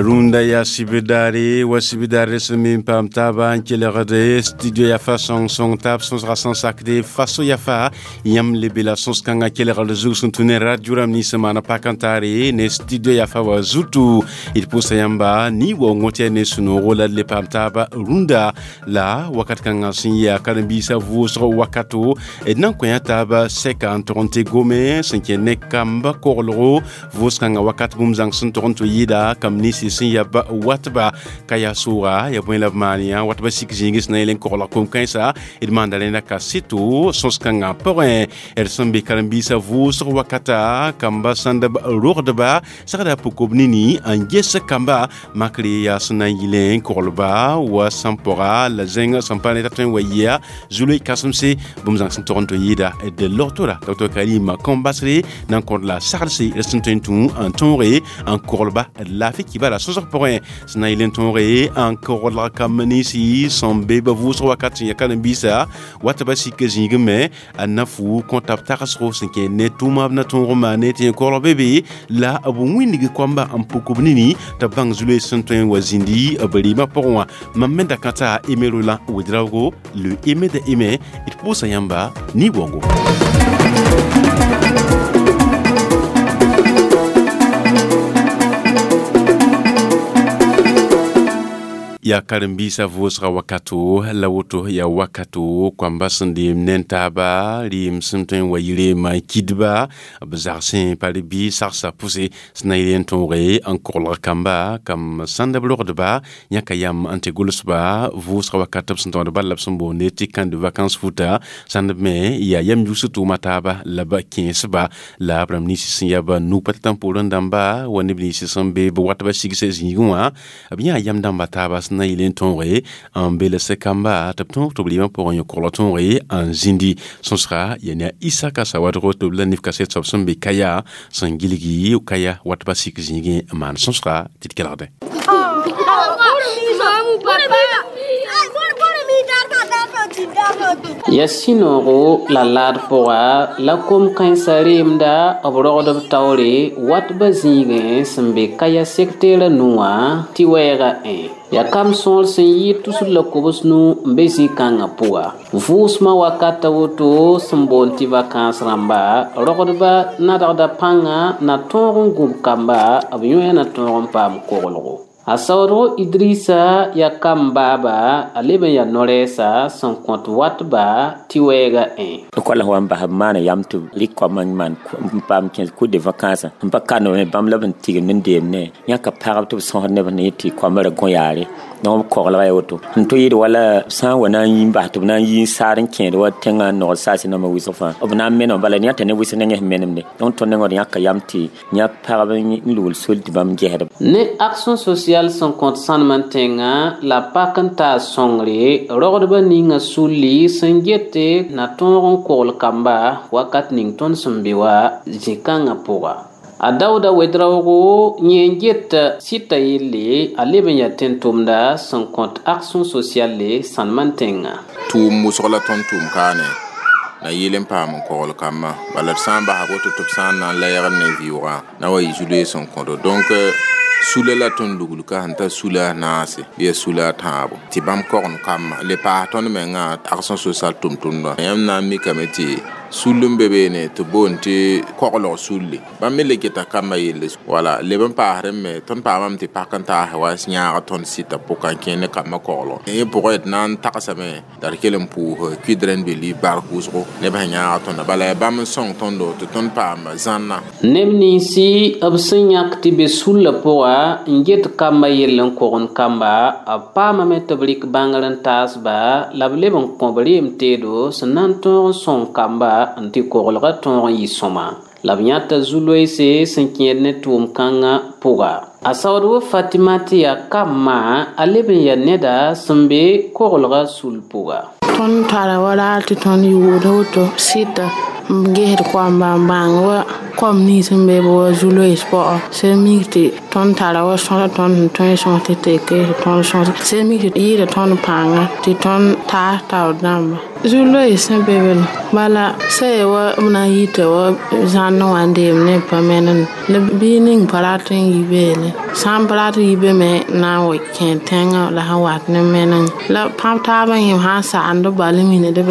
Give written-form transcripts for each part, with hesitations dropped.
Rũndã yaa sibdaare wa sibdaare sẽn me n paam taaba n kelgde studio yafa sõng-sõng taab sõsga sẽn sakde faso yafa yãmb lebe la sõs-kãngã kelgd zug sẽn tũ ne radio rãmb nins sẽn maana pak n taare ne studio yafa wa zutu d pʋʋsa yãmba ne waoongõ tɩ yaa ne sũ-noogo la d le paam taaba rũndã la wakat kãngã sẽn yaa karen-biisã vʋʋsg wakato d na n kõ yã taaba sɛka n tog n tɩ gome sẽn kẽ ne kamba koglgo vʋʋs-kãngã wakat bũmb zãng sẽn tog n tɩ yɩɩda kamb ninsi sẽn ya ba watba ka yaa sʋʋga ya bõe la b maan yã watba sik zĩigẽ sẽn na yel n koglg kom-kãensa d maanda rẽnda kaseto sõs-kãngã pʋgẽ d sẽn be karen-biisã vʋʋsg wakata kamba sãnd b rogdba sagda pʋkob nini n ges kamba makre yaa sẽn na n yɩlẽ n koglba wa sãn pɔga la zẽng sẽn pa ne t'a tõe n wa yɩa zului kãsemse bũmb zãng sẽn tog n tɩ yɩɩda d logtora Dr Karim Kambasre na n kõt la sagdse d sẽn tõe n tũ n tõoge n koglba d laafɩ kibara sõsg pʋgẽ sẽn na yɩl n tõoge n koglg kamb ninsi sẽn be ba vʋʋsg wakat sẽn ya karen-biisã wat ba sik zĩigẽ me n na fu kõta b tagsgo sẽn kẽ ne tʋʋma b na tõog n maane tɩ koglg be be la b wĩndg koamba n pʋk b nini tɩ b bãng zului sẽn tõe n wa zĩndi b rɩɩmã pʋgẽ wã mam me da kãta Aimé Roland Ouedraogo le Aimé de Aimé d pʋʋsa yãmba ne waoongo. Yaa karen-biisã vʋʋsga wakato la woto yaa wakato koamba sẽn deem ne n taaba rɩɩm sẽn tõe n wa yɩ reemã n kidba b zagsẽ pa rɩ bɩ sagsa pʋse sẽn na yɩl n tõoge n koglg kamba kam sãnd b rogdba yãka yam n tɩ gʋlsba vʋʋsga wakat b sẽn tõod bal la b sẽn boonde tɩ camp de vacances futa sãnd b me yaa yam yʋs tʋʋma taaba la b kẽesba la b rãmb ninsi sẽn yaa ba nug pa tɩ poorẽ dãmba wa neb ninsi sẽn be b wat ba sigs zĩigẽ wã b yãa yam dãmba taaba sẽn na yɩl n tõoge n beels kamba tɩ b tõog tɩ b rɩɩmã pʋgẽ yõ koglg tõoge n zĩndi sõsga yaa ne a Isaka Sawadgo tɩ b la nif kaset soab sẽn be Kaya sẽn gilgi Kaya wat ba sik zĩigẽ n maan sõsga tɩ d kelgdẽ. Ya sũ-noogo la laad pʋga la kom-kãensã reemda b rogdb taoore watba zĩigẽ sẽn be Kaya sektɛɛrã nu wã tɩ wɛɛga ẽ ya kam sõor sẽn yɩɩd tusr la kobs nu n be zĩ-kãngã pʋga vʋʋsmã wakata woto sẽn boond tɩ vakãns rãmba rogdba nadgda pãnga na tõog n gũb kamba b yõe na tõog n paam koglgo. A saoodgo Idrissa yaa kam baaba a leb n yaa no-rɛɛsa sẽn kõt watba tɩ wɛɛga ẽ. Koala wa n bas b maana yam tɩ rɩk koamã n maan n paam kẽes kʋ de vacance n pa kandame bãmb la b n tigimd n deemdẽ yãka pagb tɩ b sõsd neb sẽn yet tɩ koamã ra gõ yaare donc b koglga ya woto n tɩ yɩɩd wala sã n wa na n yi n bas tɩ b na n yi n saar n kẽed wa tẽngã n nogd saasẽ nambã wɩsg fãa b na n meneme bala yãta ne wɩsg nengẽ sẽn menemde donc tõnd nengẽ d yãka yam tɩ yã pagb n lugl sol tɩ bãmb gesdb. Ne action sociale sẽn kõt sãnemã tẽngã la pak n taas sõngre rogdbã ninga sulli sẽn gete na tõog n kogl kamba wakat ning tõnd sẽn be wa zĩ-kãngã pʋga. A Daooda Ouedraogo yẽ n get sɩta yelle a leb n yaa tẽn-tʋmda sẽn kõt action sociale sãnemã tẽngã. Tʋʋm wʋsg la tõnd tʋʋm kaane na yɩl n paam n kogl kambã bala d sã n basa woto tɩ b sã n na n lɛɛgd ne vɩʋgã na wa yɩ zu-loees sẽn kõdo donc sula la tõnd lugl ka sẽn ta sula a naase bɩ yaa sula a tãabo tɩ bãmb kogend kambã le paas tõnd mengã action sociale tʋm-tʋmdã yãmb na n mikame tɩ sul n be beene tɩ boond tɩ koglg sulle bãmb me le geta kambã yelle wala leb n paasdẽ me tõnd paamame tɩ pak n taas wa yãag tõnd sɩta pʋka n kẽ ne kambã koglg yẽ pʋgẽ d na n tagsame la d kell n pʋʋs kʋɩdrẽ n be bark wʋsgo neb sẽn yãag tõnda bala yaa bãmb n sõng tõndo tɩ tõnd paam zãnna. Neb ninsi b sẽn yãk tɩ be sullã pʋga n get kambã yell n kogend kamba b paamame tɩ b rɩk bãngr n taasba la b leb n kõ b reem teedo sẽn na n tõog n sõng kamba n tɩ koglgã tõog n yɩ sõma la b yãta zu-loeese sẽn kẽed ne tʋʋm-kãngã pʋga. A saoodb Fatima tɩ yaa kambã a leb n yaa neda sẽn be koglgã sul pʋga. Tõnd tara wa raar tɩ tõnd yʋʋd woto sɩta n gesd koamba n bãng wa kom nins sẽn be wa zu-loees pʋgã sẽn mik tɩ tõnd tara wa sõsa tõnd sẽn tõe sõs tɩ tɩ kees tõnd sõs sẽn mik tɩ yɩɩda tõnd pãnga tɩ tõnd taas taoor dãmba zu-loees sẽn be be bala sã yaa wa b na n yita wa zãnna wã n deem ne pa menem la bɩ ning pa rat n yi beene sã n pa rat n yi be me na n wa kẽ tẽngã la sẽn wat ne meneng la pãb taabã yẽ sã n sagend bal n mined b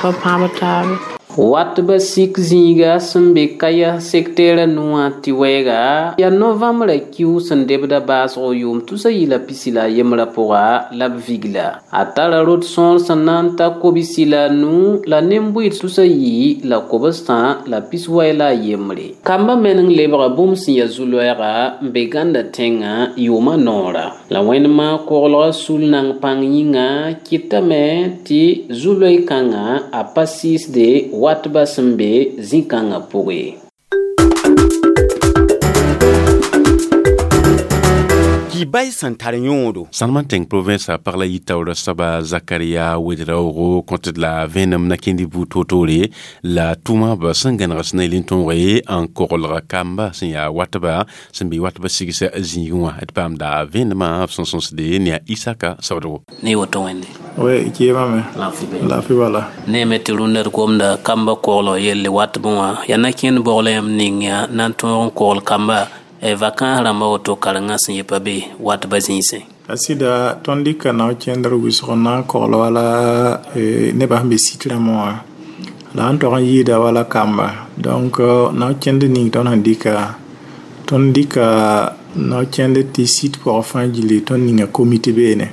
pa pãb taabe. Wat ba sik zĩiga sẽn be Kaya sektɛɛrã nuwã tɩ wɛɛga yaa novãmbrã kiu sẽn debda baasgo yʋʋm 2023 pʋga la b vigla a tara rot sõor sẽn na n ta 95 la nen-bʋɩd 393 kambã meneng lebga bũmb sẽn yaa zu-loɛɛga n be gãnda tẽngã yʋʋmã noora la wẽnemã koglgã sul nang pãng yĩnga kɩtame tɩ zu-loe-kãngã a pa sɩɩsde watba sẽn be zĩ-kãngã pʋgẽ. Bay sẽn tar yõodo. Sãnema tẽng province a pag la yɩ taoora soaba Zakaria Ouedraogo kõtd la vẽenem na kẽnd buud toor-toore la tʋʋma b sẽn gãneg sẽn na yel n tõoge n koglg kamba sẽn yaa watba sẽn be watba sigs zĩigẽ wã d paamda vẽenemã b sẽn sõsde ne a Isaka Saoodgo. Ne woto wẽnde. Oui, kɩɩmame. Laafɩ bala. Ne me tɩ rũndã d gomda kamba koglg yelle watbẽ wã yaa na kẽnd bogla yãmb ning yaa na n tõog n kogl kamba vacãs rãmba woto karengã sẽn yɩ pa be watba zĩisẽ. A sɩda tõnd dɩka nao kẽndr wʋsg n na n kogl wala nebã sẽn be sit rãmbã wã la n tog n yɩɩda wala kamba donc nao kẽnd ning tõnd sẽn dɩka tõnd dɩka nao kẽnd tɩ sit pʋgã fãa gilli tõnd ninga komite beene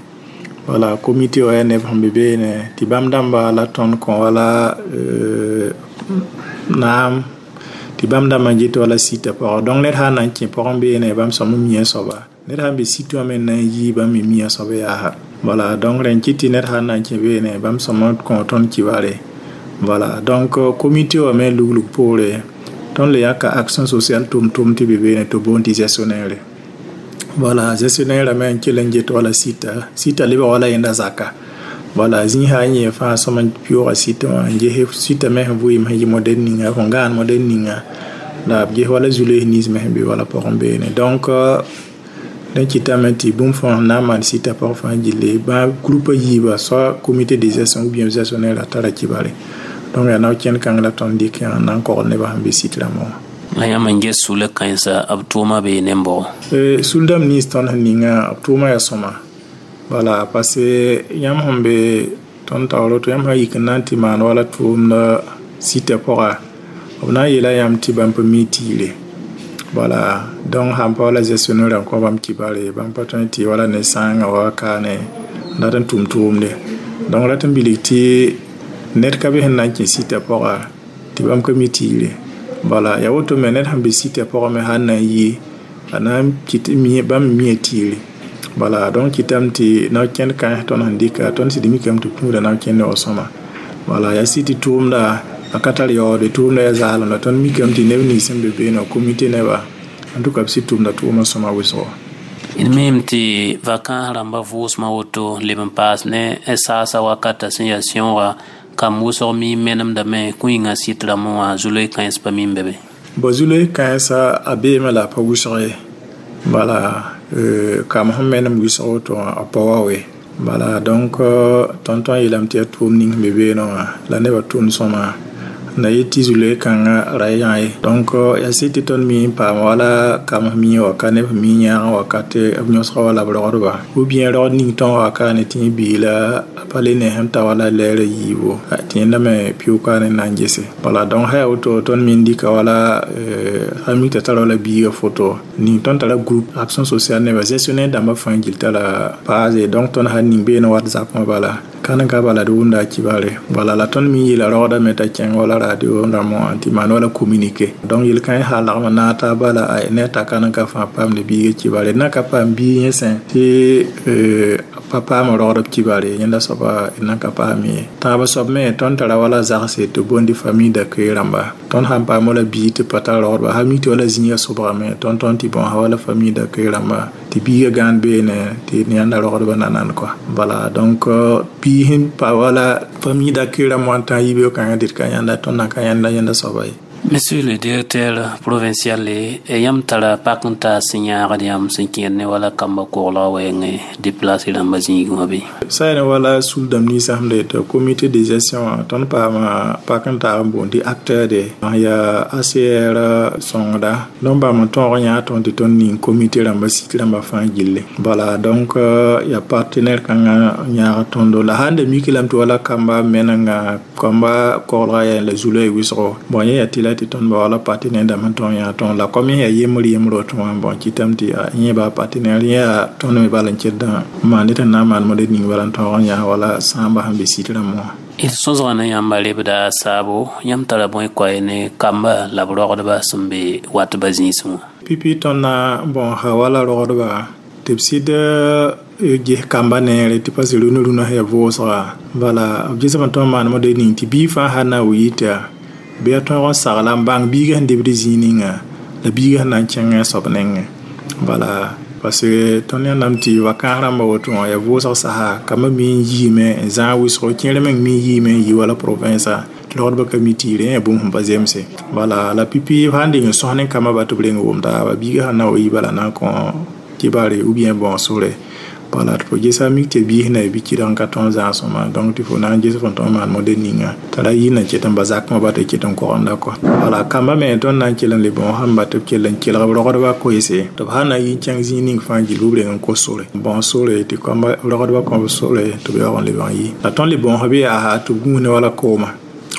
wala komite wã yaa neb sẽn be beene tɩ bãmb dãmba la tõnd kõ wala naam tɩ bãmb dãmbã n get wala sita pʋgã donc ned sã n na n kẽ pʋgẽ beene bãmb sõm n mia soaba ned sã n be sit wã me n na n yii bãmb me mia soab yaasa voilà donc rẽn kɩt tɩ ned sã n na n kẽ beene bãmb sõm n kõ tõnd kibare voilà donc comité wã me luglg poore tõnd le yãka action sociale tʋm-tʋm tɩ be beene tɩ b boond tɩ gestionnaire voilà gestionnaire me n kell n get wala sita sita lebg wala yẽnda zaka voilà zĩ sã n yẽ fãa sõm n pɩʋʋga sita wã n ges sita me sẽn vɩɩm sẽn yɩ modɛl ninga fõ gãan modɛl ninga la b ges wala zu-loees nins me sẽn be wala pʋgẽ beene donc dẽn kɩtame tɩ bũmb fãa sẽn na n maan sita pʋgẽ fãa gilli bã groupe a yiiba soit comité de gestion ou bien gestionnaire a tara kibare donc yaa nao kẽnd kãng la tõnd dɩk n na n kogl nebã sẽn be sit rãmbã wã. La yãmb n ges sula kãensa b tʋʋma bee nembʋgɔ? Sul dãmb nins tõnd sẽn ninga b tʋʋma yaa sõma voilà parce que yãmb sẽn be tõnd taoor woto yãmb sã yik n na n tɩ maan wala tʋʋmda sita pʋga b na n yeela yãmb tɩ bãmb pa mi tiire voilà donc sãn pa wala gestionnaire n kõ bãmb kibare bãmb pa tõe tɩ wala ne sãangã wa kaane n dat n tʋm tʋʋmde donc rat n bilg tɩ ned ka be sẽn na n kẽ sita pʋga tɩ bãmb ka mi tiire voilà yaa woto me ned sẽn be sita pʋgã me sã n na n yi a na n kɩt bãmb mia tiire voilà donc kɩtame tɩ nao kẽnd kãens tõnd sẽn dɩka tõnd sɩd mikame tɩ kũuda nao kẽnd wa sõma voilà yaa sɩ tɩ tʋʋmda a ka tar yaoode tʋʋmda yaa zaalem la tõnd mikame tɩ neb nins sẽn be beene comité neba en tout cas b sɩd tʋʋmda tʋʋmã sõma wʋsgo. D miime tɩ vacãs rãmba vʋʋsmã woto leb n paas ne saasa wakata sẽn yaa sẽooga kam wʋsg mi menemdame kõ yĩngã sɩt rãmbẽ wã zu-loe kãens pa mim be be. Bõ zu-loe kãensã a beeme la a pa wʋsg ye voilà kam sẽn menem wʋsg woto wã a pa wa we voilà donc tõnd tõe n yeelame tɩ yaa tʋʋm ning sẽn be beene wã la nebã tʋʋm sõma na yet tɩ zu-loe kãngã ra yã ye donc yaa sɩd tɩ tõnd mi n paam wala kam sẽn mi waka neb sẽn mi yãag wakate b yõsga wala b rogdba ou bien rogd ning tõog wakaane tɩ yẽ biila a pa le ne sẽn ta wala lɛɛrã yiibo tɩ yẽnda me pɩʋʋkaane n na n gese voilà donc sã yaa woto tõnd me n dɩka wala sã mik t'a tara wala biiga foto ning tõnd tara groupe action sociale neba gestionnaire dãmbã fãa gil tara paase donc tõnd sã ning beene WhatsApp wã bala kãn ka bala d wʋmda a kibare voilà la tõnd me yeela rogdame t'a kẽng wala radio rãmbã wã tɩ maan wala communiqué donc yel-kãe sã lagm n naag taa bala ne t'a kãn ka fãa paamd biiga kibare d na ka paam biig yẽ sẽ tɩ Pa paam rogdb kibare yẽnda soaba d nan ka paam ye. Tãab soab me tõnd tara wala zagse tɩ bondi famille d'accueil rãmba. Tõnd sãn paam wala biig tɩ pa tar rogdba sã mi tɩ wala zĩiga sobgame tõnd tõnd tɩ bõn wala famille d'accueil rãmba tɩ biiga gãan beene tɩ yãnda rogdba nanan quoi. Voilà, donc biig sẽn pa wala famille d'accueil rãmb wã n tã yibeoog kãngã dɩt ka yãnda tõnd nan ka yãnda yẽnda soaba ye. Monsieur le directeur provincial, yãmb tara pak n taas sẽn yãagd yãmb sẽn kẽer ne wala kamba koglg wɛɛngẽ déplacé rãmba zĩigẽ wã bɩ? Sa ne wala sul-dãmb ninsã sẽn da yeta comité de gestion wã, tõnd paama pak n taag n boond tɩ acteur de yaa ACR sõngda. Donc bãmb n tõog n yãag tõnd tɩ tõnd ning comité rãmba sit rãmba fãa gilli. Voilà, donc yaa partenaire kãngã n yãag tõndo la sãn da mik lame tɩ wala kamba menenga kamba koglga yaa la zulã wɩsgo, bon yẽ yaa tɩ la tɩ tõnd ba wala partenaire dãmb sẽn tõog yãag tõnd la kom yẽ yaa yembr yembr woto wã, bon kɩtame tɩ yẽ baa partenaire yẽ yaa tõnd me bal n kẽdã n maan tɩ na n maan model ning bala n tõog n yãag wala sãamba sẽn be sit rãmb wã. D sõsga ne yãmba lebda saabo, yãmb tara bõe koɛɛ ne kamba la b rogdba sẽn be watba zĩisẽ wã? Pipi tõnd na bon ha wala rogdba tɩ b sɩd ges kamba neere tɩ parce rũnã rũnã sẽn yaa vʋʋsga. Bala b gesame tõnd maan model ning tɩ biig fãa sã na n wi tɩ bɩ a tõog n sagla n bãng biigã sẽn debd zĩig ninga la biigã sẽn na n kẽngẽ a soab nengẽ. Bala parce que tõnd yãndame tɩ vakãas rãmba woto wã yaa vʋʋsg sasa kambã mi n yiime n zãag wɩsgo, kẽer meng mi n yiime n yi wala province tɩ rogdbã ka mi tɩ yɩ rẽ yaa bũmb sẽn pa zemse. Bala la pipi sãn deng n sõs ne kambã ba tɩ b reng wʋm taaba biigã sãn na wa yi bala na n kõ kibare ou bien bon sore. Voilà, tɩ fo gesa mik tɩ biis na bɩ kɩdg n ka tõog zãasõma, donc tɩ fo na n ges fõn tõog n maan model ninga t'a ra yɩ na ket n ba zakmã ba tɩ ket n kogenda kɔ. Wala kamba me tõnd na n kell n le bõo sãn ba tɩ b kell n kelg b rogdbã koeese tɩ b sã na yi n kẽng zĩig ning fãa gill b reng n kos sore bõo sore tɩ kamba rogdbã kõ b sore tɩ b yaoog n leb n yi. La tõnd le bõos bɩ yaa tɩ b gũus ne wala kooma.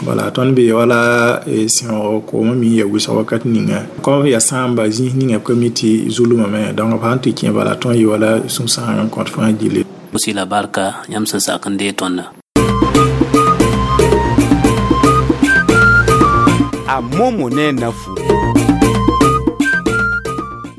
Voilà, tõnd be wala sẽoog koomã mi n yaa wɩsg wakat ninga kom yaa sãamba zĩis ninga b ka mi tɩ zulmame, donc b sãn tɩ kẽ bala tõnd yɩ wala sũ-sãang n kõt fãa gilli. Sila barka yãmb sẽn sak n dee tõnda. A momo ne nafu.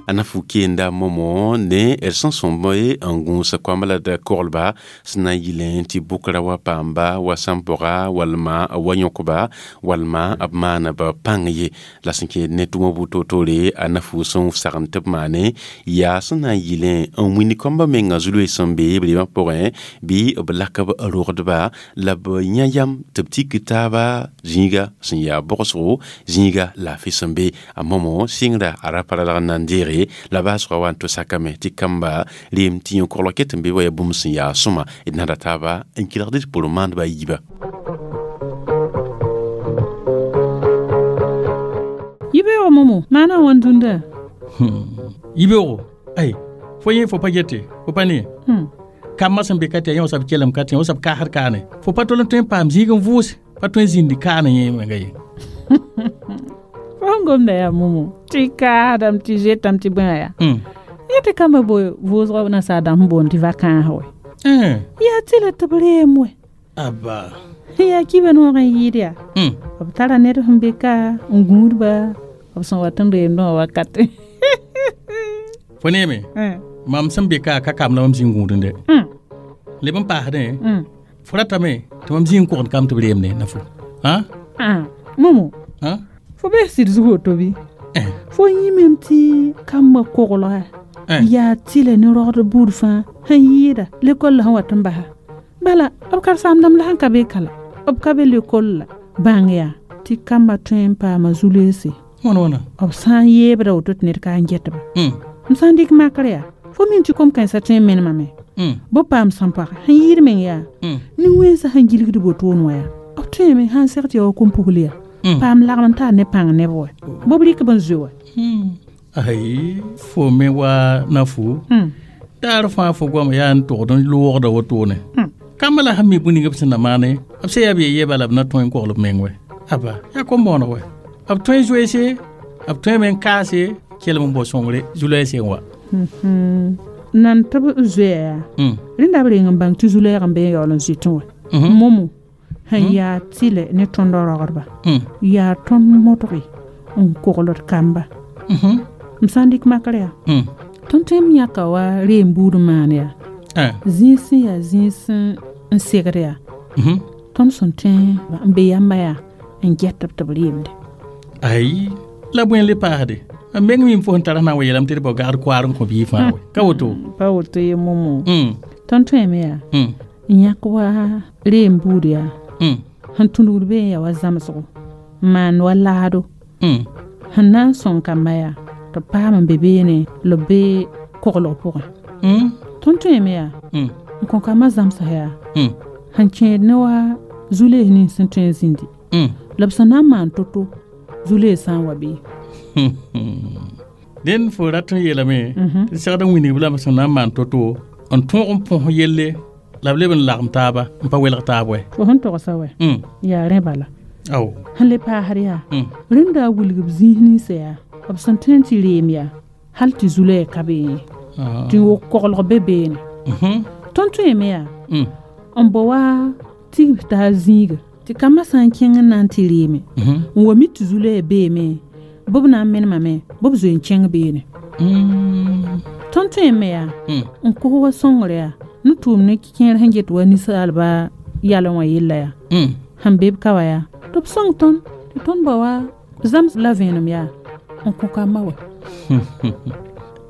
A nafu kenda momo ne d sẽn sõmb n gũus koamba la d koglba sẽn na n yɩlẽ tɩ bʋkra wa paamba wa sãn-pʋga walma wa yõkba walma b maana b pãng ye la sẽn kẽed ne tʋma bu-toor-toore. A nafu sẽn sagem tɩ b maane yaa sẽn na n yɩlẽ n wĩnd kambã menga zu-loees sẽn be b reemã pʋgẽ bɩ b lak b rogdba la b yã yam tɩ b tik taaba zĩiga sẽn yaa bʋgsgo zĩiga laafɩ sẽn be. A momo sɩngra a ra pa ralg n na n deege la baasgã wa n tʋ sakame tɩ kamba reem tɩ yẽ koglg ket n be wa yaa bũmb sẽn yaa sõma d nada taaba n kelgd d pʋr maandba a yiiba. Yibeoogo momo maana wãn dũnda? Yibeoogo ay fo yẽ fo pa gete fo pa ne kambã sẽn be ka tɩ yaa yẽ wa soab kelem ka tɩ wa soab kaasd kaane fo pa tol n tõe n paam zĩig n vʋʋse pa tõe n zĩndi kaane yẽ menga ye. Fo sẽn gomda yaa momo tɩ kaasdame tɩ zetame tɩ bõe yaa yẽ tɩ kambã bo vʋʋsg nasaar dãmb sẽn boond tɩ vakãas wɛ yaa tɩ la tɩ b reem wɛ. Aba yaa kiba noog n yɩɩd yaa b tara ned sẽn be ka n gũudba b sẽn wat n reemdẽ wã wakate. Fo neeme mam sẽn be ka ka kam la mam zĩig gũudẽ leb n paasdẽ fo ratame tɩ mam zĩig n kogend kam tɩ b reemde na fo. Momo fo bee sɩd zug woto bɩ fo yĩmem tɩ kambã koglga yaa tɩla ne rogd buud fãa sẽn yɩɩda lekol la sẽn wat n basa bala b karen-saamdãmb la sẽn ka be ka la b ka be lekol la bãng yaa tɩ kambã tõe n paama zu-loeese wãna b sã n yeebda woto tɩ ned ka n getba. M sã n dɩk makr yaa fo min tɩ kom-kãensã tõe n menemame bɩ paam sãn-pag sẽn yɩɩd meng yaa nin-wẽnsã sẽn gilgd wotoon wã yaa b tõeme sãn seg tɩ ya wa kom-pugl yaa paam lagm n taar ne pãng neb wɛ bɩ b rɩk b n zoe wɛ. Ay fo me wa nafu daar fãa fo goam yaa n togd n loogda wotone kambã la sẽn mi bũmb ning b sẽn na maane b sẽn yaa b ye bala b na tõe n kogl b meng wɛ. Aba yaa kom-bõoneg wɛ b tõe n zoeese b tõe me n kaase kelem n bao sõngre zu-loeese n wa. Nan tɩ b zoeya yaa rẽnda b reng n bãng tɩ zu-loɛɛg n be n yaool n zoetẽ wɛ momo sẽn yaa tɩlɛ ne tõndã rogdba yaa tõnd modge n kogld kamba. M sã n dɩk makr yaa tõnd tõe n yãka wa reem buud n maan yaa Zĩig sẽn yaa zĩig n segd yaa tõnd sẽn tõe n be yamba yaa n get b tɩ b reemde. Ai la bõe le paasde a meng mim fo sẽn tar sẽn na n wa yeelame tɩ d bao gagd koaar n kõ bii fãa we ka woto? Pa woto ye momo. Tõnd tõeme yaa n yãk wa reem buud yaa sẽn tũnugd be n yaa wa zãmsgo n maan wa laado sẽn na n sõng kamba yaa tɩ b paam n be beene la b be koglg pʋgẽ. Tõnd tõeme yaa n kõ kambã zãmsã yaa sẽn kẽed ne wa zu-lees nins sẽn tõe n zĩndi la b sẽn na n maan to-to zu-lees sã n wa bee. Dẽnd fo rat n yeelame tɩ segd n wilgb lame sẽn na n maan to-to n tõog n põs yelle la b leb n lagem taaba n pa welg taab wɛ. Fo sẽn togsa wɛ yaa rẽ bala. Ao sẽn le paasd yaa rẽnda a wilg b zĩis ninsã yaa b sẽn tõe n tɩ reem yaa hal tɩ zu-loɛɛ ka beene tɩ wok koglg be beene. Tõnd tõeme yaa n bao wa tigb taa zĩiga tɩ kambã sã n kẽng n na n tɩ reeme n wa mi tɩ zu-loɛɛ beeme bɩ b na n menemame bɩ b zoe n kẽng beene. Tõnd tõeme yaa n kos wa sõngr yaa ne tʋʋm ne kẽer sẽn get wa ninsaalba yalẽ wã yella yaa sẽn be b ka wa yaa tɩ b sõng tõnd tɩ tõnd ba wa zãms la vẽenem yaa n kõ kambã wa.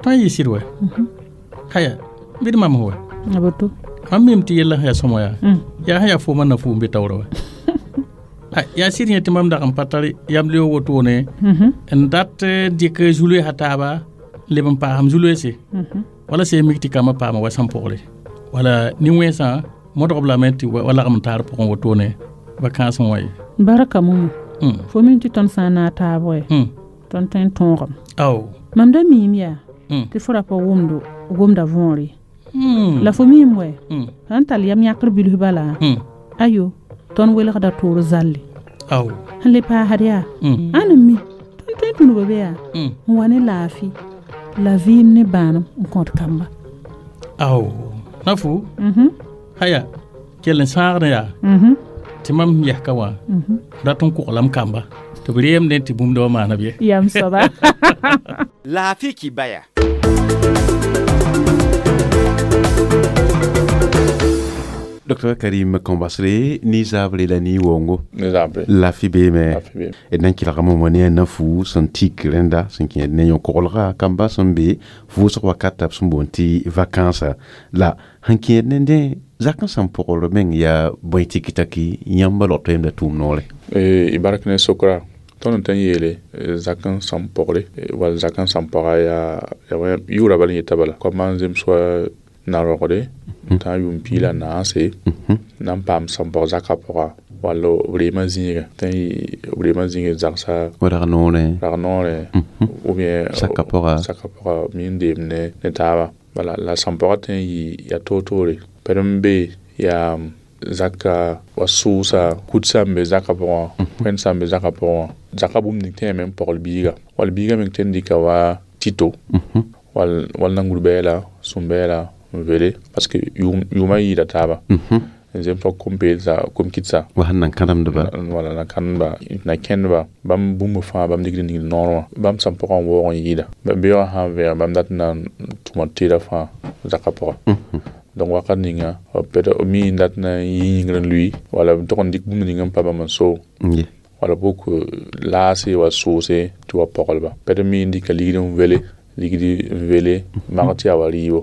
Tõe n yɩ sɩd wɛ haya bɩ d mam wɛ a boto mam mim tɩ yella sẽn yaa sõma yaa yaa sẽn yaa foomã na fu n be taoorã wɛ. Yaa sɩd yẽ tɩ mam dag n pa tar yam leoog wotone n dat dɩk zu-loeesã taaba n leb n paasem zu-loeese wala sẽn mik tɩ kambã paama wa sãn-pʋgre wala nin-wẽnsã modg b lame tɩ wa lagem n taar pʋgẽ wotone vacance wã ye. Barka momo fo min tɩ tõnd sã n naag taab wɛ tõnd tõe n tõogame. Ao mam da miim yaa tɩ fo ra pa wʋmdo gomda võore la fo miim wɛ sãn tall yam yãkr bilf bala ayo tõnd welgda toor zalle. Ao sẽn le paasd yaa ãn n mi tõnd tõe n tũnuga be yaa n wa ne laafɩ la vɩɩm ne bãanem n kõt kamba. Ao na fu haya kell n sãagd yaa tɩ mam yɛs ka wã rat n koglam kamba tɩ b reemdẽ tɩ bũmb da wa maana b ye. Yam soaba. Laafɩ kibaya. Dr Karim Kambasre ni zabre la ni wongo ne zabre laafɩ beeme d na n kelgame wã ne a na-fu sẽn tik rẽnda sẽn kẽed ne yõ-koglga kamba sẽn be vʋʋsg wakata b sẽn boond tɩ vakansa la sẽn kẽed nendẽ zak n sẽn pʋgr meng yaa bõe tɩk-taki yãmba log toeemda tʋʋm noore? Y bark ne sokra tõnd n tõe n yeele zak n sãn pʋgre wall zak n sãn pʋga yaa yʋʋra bala n yeta bala koamã n zems wa na-rogde tã yʋʋm piig la naase na n paam sãn pʋg zakã pʋga wall b reemã zĩiga tõe b reemã zĩiga zagsa rag noorẽ rag noorẽ ou bien saka pʋga saka pʋga mi n deem ne taaba bala la sãn pʋga tõe n yɩ yaa toor-toore pɛd n be yaa zaka wa sʋʋsa kutsa n be zakã pʋgã wẽnd sã n be zakã pʋgã zakã bũmb ning tõe yame n pɔgl biiga wall biiga meng tõe n dɩka wa tito wall nangur-bɛɛla sũm-bɛɛla n vele parce que yʋʋmã yɩɩda taaba n zem fa kom-peelsa kom-kɩtsa wa sẽn nan kãdemdba wala na kãndba na kẽndba bãmb bũmb fãa bãmb dɩkd ningd noor wã bãmb sãn pʋgã n waoog n yɩɩda beoogã sã n vẽeg bãmb dat n na n tʋma teeda fãa zakã pʋga. Donc wakat ninga peut mi n dat na n yɩ yĩngr n lʋɩ wala b tog n dɩk bũmb ning n pa bãmb n so wala bok laase wa soose tɩ wa pɔglba peut mi n dɩka ligd n wele ligd n wele mag tɩ yaa wa rɩɩbo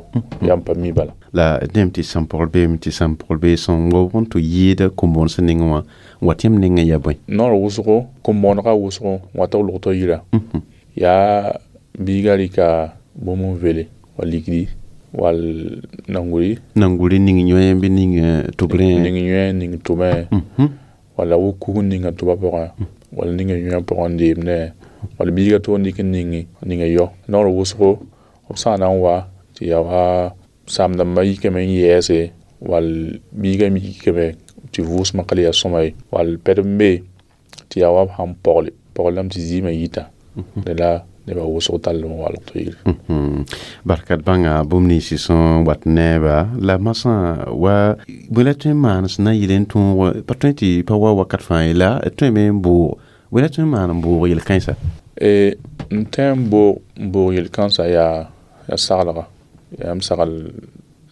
yaa n pa mi bala. La dẽm tɩ sãn pɔgl beeme tɩ sãn pɔgl bee sẽn waoog n tɩ yɩɩda kom-bõon sẽn nengẽ wã n wat yãmb nengẽ yaa bõe? Noor wʋsgo kom-bõonegã wʋsgo n wat b logtã yira yaa biiga rɩka bũmb n vele wa ligdi wall nanguri nanguri ning yõe bɩ ning tʋbrẽ ning yõe ning tʋbẽ wala wo kug n ninga tʋba pʋgẽ wala ninga yõe pʋgẽ n deemdẽ wala biiga tʋg n dɩk n ninga yɔ noor wʋsgo b sã n na n wa tɩ yaa wa saam-dãmbã yikame n yɛɛse wall biiga me yikame tɩ vʋʋsmã ka le yaa sõma ye wall pɛd n be tɩ yaa wa b sãn pɔgle pɔglame tɩ zɩɩmã yita dẽ la nebã wʋsg tall n walg tɩ yire. Barkat bãnga bũmb ninsi sẽn wat neeba la masã wa bõe la tõe n maan sẽn na n yɩl n tõog pa tõe tɩ pa wa wakat fãa ye la tõeme n boog bõe la tõe n maan n boog yel-kãensa? N tõe n boog yel-kãensã yaa saglga yaa m sagl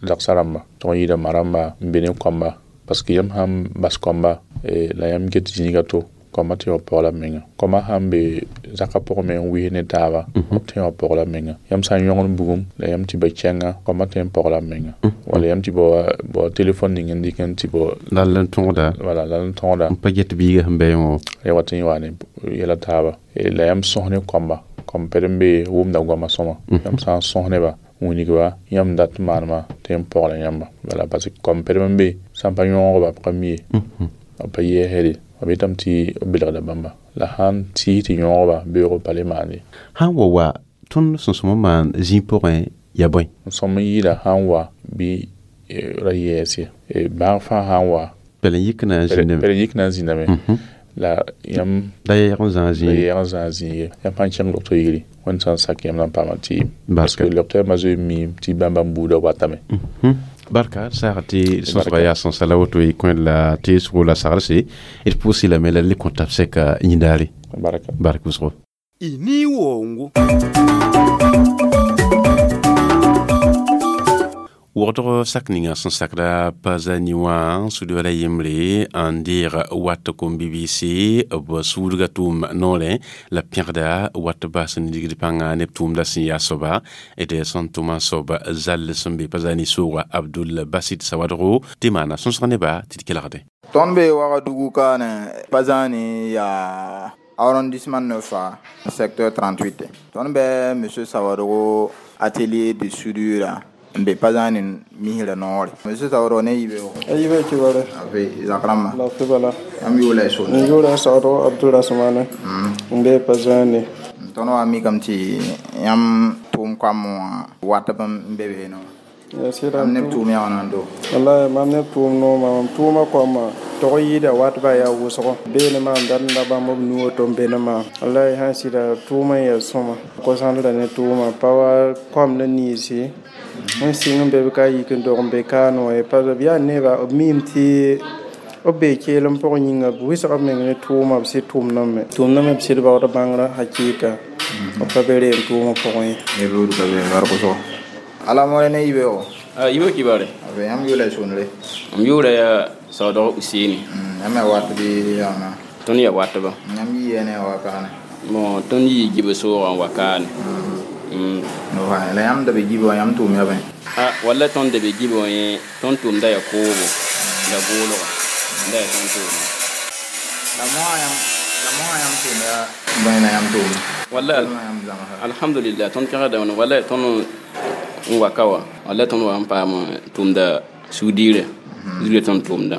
dagsa rãmba tɩg n yɩɩda ma rãmba n be ne koamba parce que yãmb sãn bas koamba la yãmb get zĩiga to koamba tɩ yao pɔgla menga koamba sãn be zaka pʋgẽ me n wis ne taaba b tɩ yao pɔgla menga yãmb sã n yõgd bugum la yãmb tɩ ba kɛnga koamba tɩ n pɔgla menga wala yãmb tɩ bao telefon ning n dɩk n tɩ bao lal n tõgda wala lal n tõgda n pa get biiga sẽn bɩ wã ya wat n wa ne yɛla taaba la yãmb sõs ne koamba kom ped n be wʋmda goama sõma yãmb sã n sõs neba wĩnigba yãmb dat n maanema tɩ n pɔgla yãmba bala parce que kom ped n be sã n pa yõogba b ka mi ye b pa yɛɛsde b yetame tɩ b belgda bãmba la sãn tɩɩs tɩ yõogba beoog pa le maande sãn wa wa tõnd sẽn sõm n maan zĩig pʋgẽ yaa bõe n sõm n yɩɩda sãn wa bɩ ra yɛɛs ye bãag fãa sãn wa pɛl n yik na n zĩndame pɛl n yik na n zĩndame la yãmb la yɛɛg n zãag zĩig la yɛɛg n zãag zĩig ye yãmb sãn kẽng docteur yiri wẽnd sã n sak yãmb na n paama tɩɩm parce que docteur ma zoe miim tɩ bãmba n buudã watame Barka saag tɩ sõsga yaa sõsa la woto y kõ la teesgo la sagrse d pʋʋsɩ lame la le kõ tab sɛka yĩndaare barka bark wʋsgo y ni wongo Wogdg sak ninga sẽn sakda Pazani wã sudba la yembre n deeg wat kom BBC b suudga tʋʋm noorẽ la pẽgda wat bas n ligd pãnga neb tʋʋmda sẽn yaa soaba d sẽn tʋma soab zall sẽn be Pazani sooga Abdul Basit Sawadgo tɩ maana sõsg neba tɩ d kelgde. Tõnd be Wagadugu kaane Pazani yaa arrondissement 9 secteur 38. Tõnd be monsieur Sawadogo atelier de soudure n be Pazani misra noore. Monsieur Sawadogo ne yibe o? Yibe kibare. Abe zakrama. La fibala. Am yula so. N yula Sawadogo Abdul Rasmane. N be Pazani. Tõnd wa mikame tɩ yãmb tʋʋm koam wã wat b n be be no. Mam neb tʋʋm yaa wãna n do? Wallahi mam neb tʋʋm nooma mam tʋʋma koamã tog yɩɩda watba yaa wʋsgo beene maam dat n la bãmb b nu woto n be ne maam wallahi sãn sɩda tʋʋmã n yaa sõma kosãndra ne tʋʋma pa wa koam la niisi n sɩng n be b ka yik n dog n be kaane wã ye parce b yaa neba b miime tɩ b bee keelem pʋgẽ yĩnga b wɩsg b meng ne tʋʋma b sɩd tʋʋmdame tʋʋmdame b sɩd baood bãngrã hakɩɩka b pa be reem tʋʋmã pʋgẽ ye. Ala more ne yibe o? Yibe kibare. Abe yãmb yʋʋla sonre? M yʋʋra yaa Sawadog Useni. Yãmb yaa wat bɩ yaana? Tõnd yaa watba. Yãmb yɩ ne wa kaane? Bon, tõnd yii gibã soogã n wa kaane. La yãmb da be gibã wã yãmb tʋʋm yaa bõe? Walla tõnd da be gibã wã yẽ tõnd tʋʋmda yaa koobo la goolga n da yaa tõnd tʋʋma. La moasã yãmb tʋʋm yaa bõe la yãmb tʋʋma? Walla alhamdulillah tõnd pẽgda wãna walla tõnd n wa ka wã walla tõnd wa n paam tʋʋmda suudiirã zuga tõnd tʋʋmda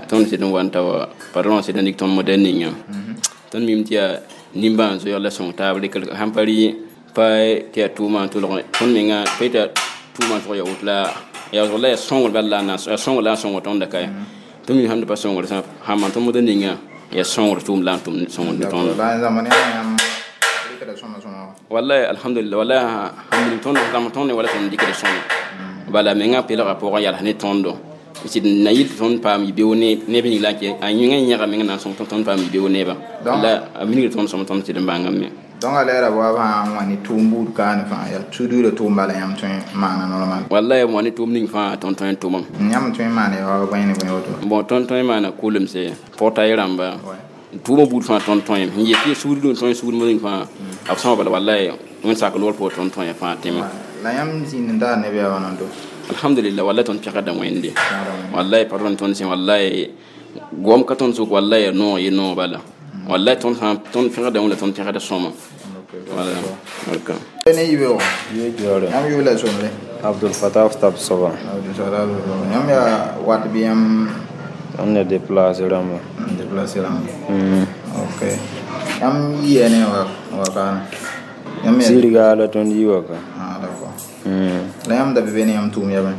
tõnd sɩd n wa n ta wa patron sɩd n dɩk tõnd modɛl ninga tõnd mim tɩ yaa nimbãan zoeeg la sõng taab rɩk sãn pa rɩ pa tɩ yaa tʋʋma n tʋlg tõnd menga pa yetɩ tʋʋma n tʋg ya woto la yaa la yaa sõngr bala la yaa sõngr la n sõngr tõnda ka tõnd mim sãn da pa sõngr sã sãn maan tõnd modɛl ninga yaa sõngr tʋʋm la n tʋm sõngr ne tõnd. Wallahi alhamdulillah wallahi alhamdulillah tõnd zãm tõnd wala tõnd dɩkda sõma bala menga pelga pʋgẽ yals ne tõndo sɩd na yɩl tɩ tõnd paam yibeoog neb ning la n a yẽnga yẽga meng na n sõng tõnd paam yibeoog nebã la a minigd tõnd sõm tõnd sɩd n bãngame. Donc a lɛɛra wa fãa n wa ne tʋʋm buud kaane fãa yaa suduurã tʋʋm bala yãmb tõe n maana normal. Wallahi wa ne tʋʋm ning fãa tõnd tõe n tʋmam. Yãmb tõe n maana yaa wa bõe ne bõe woto? Bon tõnd tõe n maana kulemse portail rãmba tʋʋmã buud fãa tõnd tõe n yet tɩ suudr n tõe suudmã ning fãa b sõma bala wallahi wẽnd sak loor pʋgẽ tõnd tõe fãa tẽme. La yãmb zĩnd n taar neb yaa wãna n do? Alhamdulillah wallahi tõnd pẽgda wẽnde wallahi patron tõnd sẽn wallahi goam ka tõnd sʋk wallahi yaa noog ye noog bala wallahi tõnd sã tõnd pẽgda wẽnda tõnd pẽgda sõma wala barka. Ne yibe o? Yãmb yʋʋla sõmre? Abdul Fatah tab soaba. Abdul Fatah yãmb yaa wat bɩ yãmb Tõnd ya déplacé rãmba. Déplacé rãmba. Ok. Yãmb yɩa ne wa kaane? Sirga la tõnd yɩ wa ka. Ah d'accord. La yãmb da be be ne yãmb tʋʋm yaa bõe?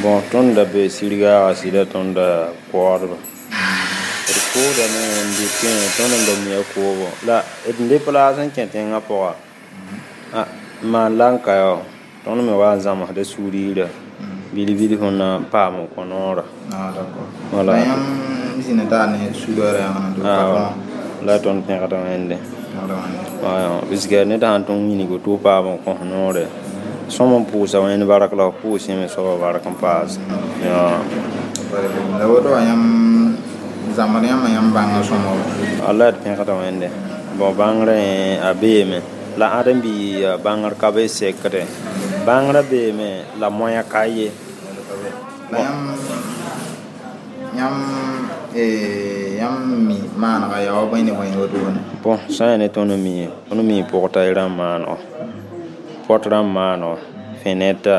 Bon tõnd da be sirgaaga sɩda tõnd da koodba. D koodame n dɩk tõnd n da mia koobo la d déplace n kẽ tẽngã pʋga n maan la n ka yaa tõnd me wa n zãmsda suuriirã bil-bil sẽn na n paam n kõ noorã. Ah d'accord. Voilà. La yãmb zĩnd n taar ne soudeur yaa wãna patron? La tõnd pẽgda wẽnde. Puisque ned sãn tõnd wilg tɩ f paam n kõs noore Sõm n pʋʋsa wẽnd bark la f pʋʋs yẽ me soaba bark n paas. Ya. La woto wã yãmb zãmbd yãmba yãmb bãngã sõmo? Allah d pẽgda Wẽnde. Bon, bãngrã a beeme la ãdem-bi bãngr ka be sekde. Bãngrã beeme la moyã ka ye. La yãmb mi maanega yaa wa bõe ne bõe wotone? Bon, sã n yaa ne tõnd mi, tõnd mi pʋgta rãmb maanego, pot rãmb maanego, fenɛta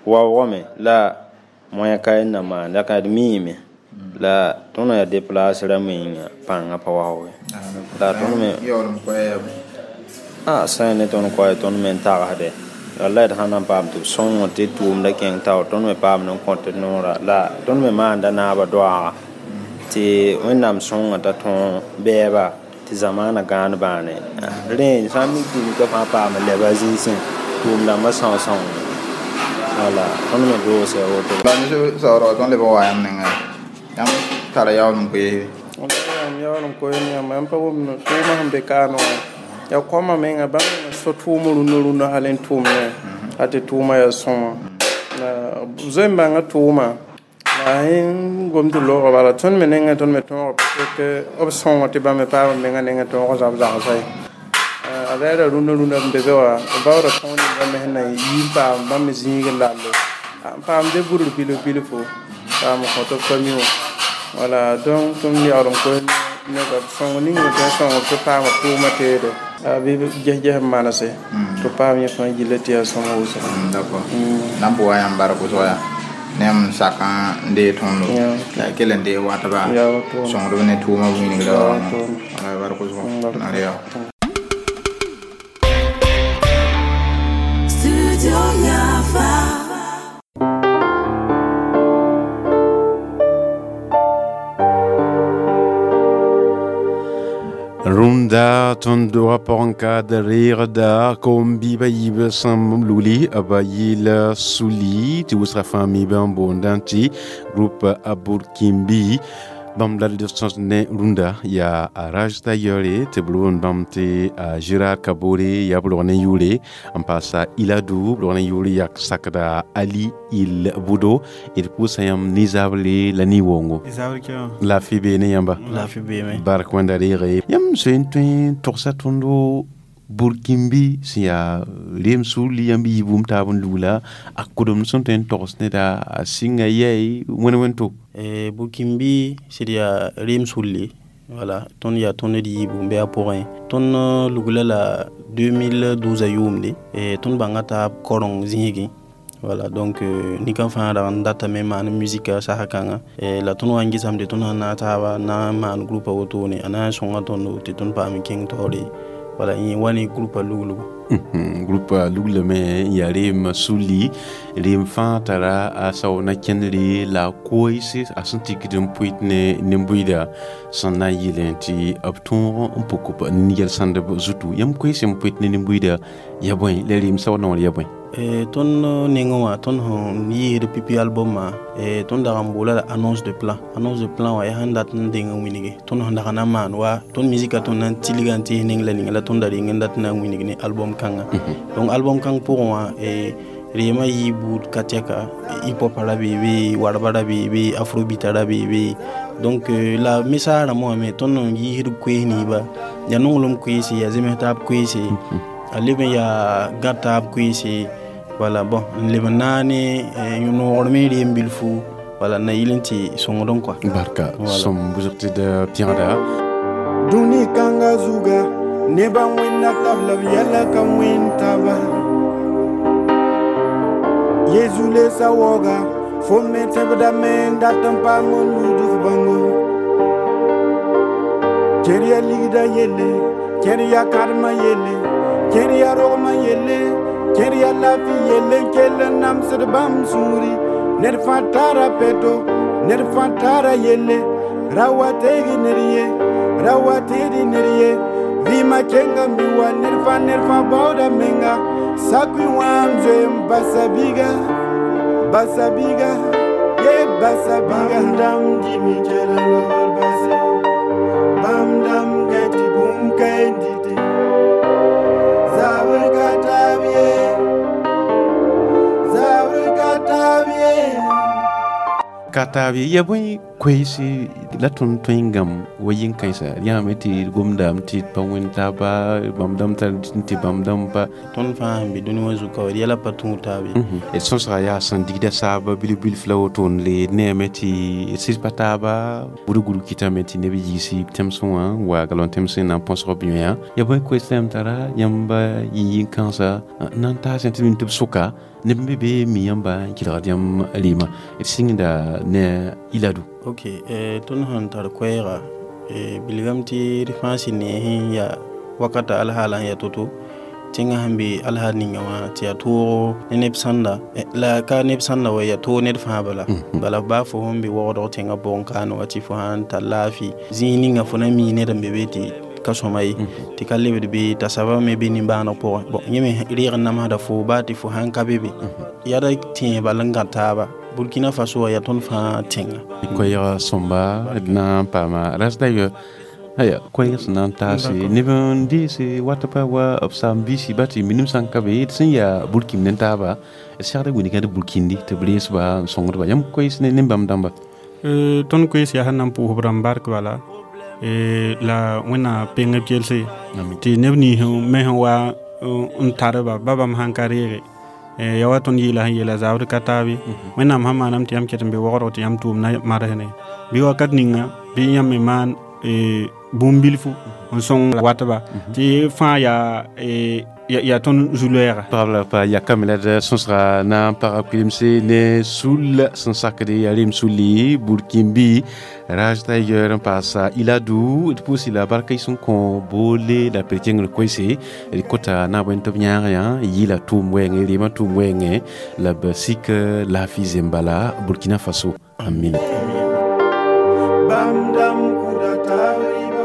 waoogame la moyã ka n na maan la ka d miime la tõnd yaa déplace rãmb yĩnga pãngã pa waoog. La tõnd me yaoolem koɛɛ? A sã n yaa ne tõnd koɛɛ, tõnd me n tagsde wallay d sã na n paam tɩ b sõng tɩ tʋʋmda kẽng tao, tõnd me paam n kõt d noora la tõnd me maanda naabã doaaga tɩ Wẽnnaam sõnga t'a tõog bɛɛba tɩ zamaana gãan bãane. Rẽ sã n mik tɩ nika fãa paam n lɛba a zĩisẽ tʋʋm-dãmbã sõs-sõng. Wala tõnd me doose a woto. La monsieur Saourou, tõnd leb n wa yãmb nengã, yãmb tara yaoolem koeesbe? Yãmb yaoolem koees yãmba, yãmb pa wʋmd tʋʋmã sẽn be kaame wã yaa kõma menga bãmb menga so tʋʋm rũnã rũnã hal n tʋʋm ne a tɩ tʋʋmã yaa sõma. La zoe n bãnga tʋʋma la yẽ gom tɩ loogã bala tõnd me nengẽ tõnd me tõoga parce que b sõngo tɩ bãmb me paam b menga nengẽ tõog zab zagsa ye. A la rũnã rũnã b be be wã b baooda tõog ninga me sẽn na yi n paam bãmb me zĩig n lalle n paam de burd bilf bilfo paam n kõt b famille wã. Wala donc tõnd yaool n koes neba b sõng ning me tõe n sõng b tɩ paam b tʋʋmã teede bɩ ges-ges n manese tɩ paam yẽ fãa gilla tɩ yaa sõma wʋsgo. D'accord. Na n pʋga yãmb bark wʋsg yaa ne yãmb sak n deeg tõndo la y kell n deeg watba sõngdb ne tʋʋmã wĩnigda wala bark wʋsgo na re yaa. Studio Yafa. Rũnda tõnd doogã pʋgẽ ka d reegda kom-biibã yiib sẽn lugli b yɩɩl suli tɩ wʋsga fãa miibã n boondã tɩ groupe Aburkimbi. Bãmb la d sõs ne rũndã yaa a Raj Tailleure tɩ b roond bãmb tɩ a Gérard Kabore yaa b rog ne yʋʋre n paasa Iladou b rog ne yʋʋre yak sakda Ali Il Budo. D pʋʋsa yãmb nizabre la ni-woongo. Laafɩ bee ne yãmba? Laafɩ beeme. Bark wẽnda reege. Yãmb soe n tõe n togsa tõndo Burkimbi sẽn yaa reem sulli yãmb yiibum taab n lugla a kodemd sẽn tõe n togs neda a sɩnga yɛɛ wẽn wẽn to? Burkimbi sɩd yaa reem sulli, wala tõnd yaa tõnd d yiibu n be a pʋgẽ. Tõnd lugla la 2012 a yʋʋmde. Tõnd bãnga taab korong zĩigẽ. Voilà, donc nika fãa dag n datame maan musika sasa kãnga la tõnd wa n gɩsame tɩ tõnd sẽn na n taaba na n maan groupa wotone a na n sõnga tõndo tɩ tõnd paam n kẽng taoore. Voilà, yẽ wa ne groupa luglugo. Groupa luglame n yaa reem sulli reem fãa tara a sao na kẽndre la a koeese a sẽn tikd n pʋɩt ne nin-bʋɩda sẽn na n yɩlẽ tɩ b tõog n pʋk b yɛl-sãndb zutu. Yãmb koees n pʋɩt ne nin-bʋɩda ya bõe la reem sao noor ya bõe? Tõnd nengẽ wã tõnd sẽn yɩɩsd pipi album wã, tõnd dag n boola la annonce de plan. Annonce de plan wã yaa sẽn dat n deng n wilge tõnd sẽn dag na n maan wa tõnd musika tõnd na n tilga n tɩs neng la ninga la tõnd da reng n dat na n wilg ne album kãnga. Donc album kãng pʋgẽ wã reema yɩ buud ka tɛka hip hop ra beebe, warba ra beebe, afrobeat ra beebe. Donc la message rãmbã wã me tõnd n yɩɩsd koees ninsba yaa nonglem koeese yaa zems taab koeese a leb n yaa gã taab koeese. Voilà, bon, n leb n naane noogr me reem bilfu, voilà, na yɩl n tɩ sõngdẽ quoi. Barka sõm wʋsg tɩ d pẽgda. Dũni kãngã zuga nebã wẽnna tab la b yɛla ka wẽnd taba Yezu le sa waooga fo me tẽbdame n dat n paam n lud f bãngo kẽr ya ligda yelle kẽr ya kadmã yelle kẽr ya rogmã yelle kẽr ya laafɩ yelle n kell n namsd bãmb sũuri ned fãa tara peto ned fãa tara yelle ra wa teeg ned ye ra wa teed ned ye vɩɩmã kenga mi wa ned fãa baooda menga sakui wã n zoe n basa biga basa biga ye basa biga. Bãmb dãmb dĩm kell n lobr base bãmb dãmb gãe tɩ bũmb ka n dɩte zabr ka taab ye. taab ye. Ya bõe koeese la tõnd tõe n gãmb wa yĩn-kãensã yãame tɩ gomdame tɩ d pa wẽnd taaba, bãmb dãmb tar tɩ bãmb dãmb pa. Tõnd fãa sẽn be dũni wã zuka wa d yɛla pa tũud taab ye. D sõsga yaa sẽn digda saaba bilf bilf la woto n le neeme tɩ d sɩd pa taaba budu guru kɩtame tɩ neb yiisi tẽmsẽ wã n wa galon tẽmsẽ na n põsg b yõya. Ya bõe koees la yãmb tara yãmb yĩn-kãensã na n taas tɩ b sʋka neb n be be mi yãmba n kelgd yãmb rɩɩmã d sɩngda ne Iladu. Ok, tõnd sẽn tar koɛɛga bilgame tɩ d fãa sɩd ne sẽn yaa wakata alhaala sẽn yaa to-to tẽngã sẽn be alhaal ninga wã tɩ yaa toogo ne neb sãnda la ka neb sãnda wa yaa toog ned fãa bala bala baa fo sẽn be waoodg tẽngã pʋgẽ kaane wa tɩ fo sãn tar laafɩ zĩig ninga fo na mi ned n be be tɩ ka sõma ye tɩ ka lebd be t'a sabã me be nimbãaneg pʋgẽ. Bon, yẽ me reeg n namsda fo baa tɩ fo sãn ka be be yaa tẽeg bal n gã taaba. Burkina Faso wa yaa tõnd fãa tẽnga. Koɛɛga sõmba d na n paama ras dayɔ aya koɛɛg sẽn na n taase neb n deese wat pa wa b saam-biisi ba tɩ minim sã n ka be d sẽn yaa burkim ne taaba d segda wilgã d burkindi tɩ b reesba n sõngdba yãmb koees ne bãmb dãmba. Tõnd koees yaa sẽn na n pʋʋs b rãmb bark bala la wẽnnaam peng b kelse tɩ neb nins me sẽn wa n tarba ba bãmb sãn ka reege ya wa tõnd yeela sẽn yeela zabd ka taabe wẽnnaam sãn maaname tɩ yãmb ket n be waoodg tɩ yãmb tʋʋmdã marsne bɩ wakat ninga bɩ yãmb me maan bũmb bilfu n sõng watba tɩ fãa yaa yaa tõnd zu-loɛɛga. Pagb la pa yakame la d sõsga na n paga kuilemse ne sul sẽn sakde yaa rem sulli burkimbi Raj Tiger n paasa Iladu d pʋʋsi la barka y sẽn kõ boole la p kẽngr koɛɛse d kota na bõe tɩ b yãag yã yɩla tʋʋm wɛɛngẽ rɩɩmã tʋʋm wɛɛngẽ la b sik laafɩ zembala Burkina Faso. Amina. Bam dam kuda tariba.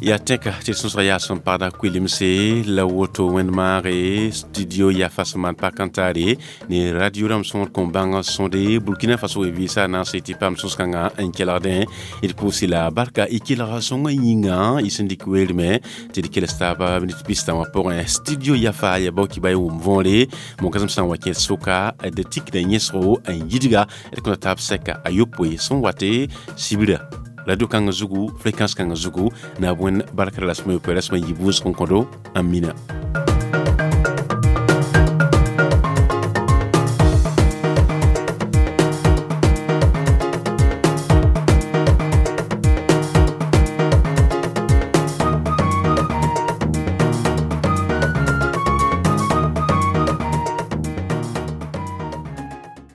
Ya tẽka tɩ sõsga yaa sẽn pagda kuilemse la woto wẽnd maage studio yaa fa sẽn maan pak n taare ne radio rãmb sõor kõn bãng sõde Burkina Faso we vɩɩsa na n se tɩ paam sõs-kãngã n kelgdẽ d pʋʋsi la barka y kelga sõngã yĩnga y sẽn dɩk weermẽ tɩ d kels taaba minit pistã wã pʋgẽ. Studio yaa fa ya bao kɩ ba y wʋm võore monkasem sã n wa kẽed sʋka d tikda yẽsgo n yidga d kõta taab sɛka a yopoe sẽn wate sibra radio kãngã zugu fréquence kãngã zugu na bõe barka rasmã yopoe rasmã yiib wʋsg n kõdo. Amina.